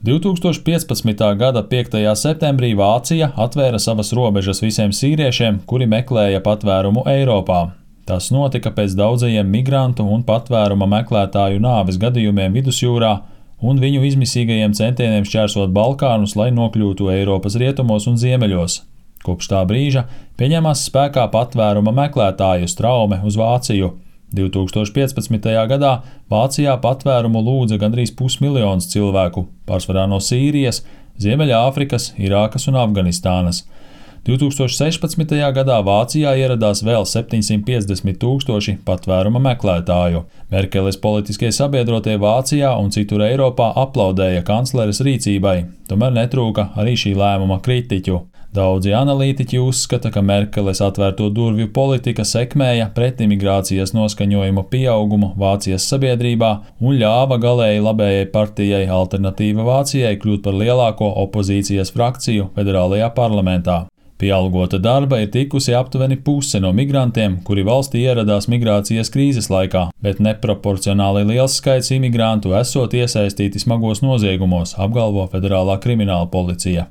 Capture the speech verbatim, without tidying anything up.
divtūkstoš piecpadsmitā gada piektajā septembrī Vācija atvēra savas robežas visiem sīriešiem, kuri meklēja patvērumu Eiropā. Tas notika pēc daudzajiem migrantu un patvēruma meklētāju nāves gadījumiem Vidusjūrā un viņu izmisīgajiem centieniem šķērsot Balkānus, lai nokļūtu Eiropas rietumos un ziemeļos. Kopš tā brīža pieņemās spēkā patvēruma meklētāju straume uz Vāciju. divtūkstoš piecpadsmitajā gadā Vācijā patvērumu lūdza gandrīz pusmiljons cilvēku, pārsvarā no Sīrijas, Ziemeļāfrikas, Irākas un Afganistānas. divtūkstoš sešpadsmitajā gadā Vācijā ieradās vēl septiņsimt piecdesmit tūkstoši patvēruma meklētāju. Merkeles politiskie sabiedrotie Vācijā un citur Eiropā aplaudēja kancleres rīcībai, tomēr netrūka arī šī lēmuma kritiķu. Daudzi analītiķi uzskata, ka Merkeles atvērto durvju politika sekmēja pretimigrācijas noskaņojumu pieaugumu Vācijas sabiedrībā un ļāva galēji labējai partijai Alternatīva Vācijai kļūt par lielāko opozīcijas frakciju federālajā parlamentā. Pie algota darba ir tikusi aptuveni puse no migrantiem, kuri valstī ieradās migrācijas krīzes laikā, bet neproporcionāli liels skaits imigrantu esot iesaistīti smagos noziegumos, apgalvo Federālā krimināla policija.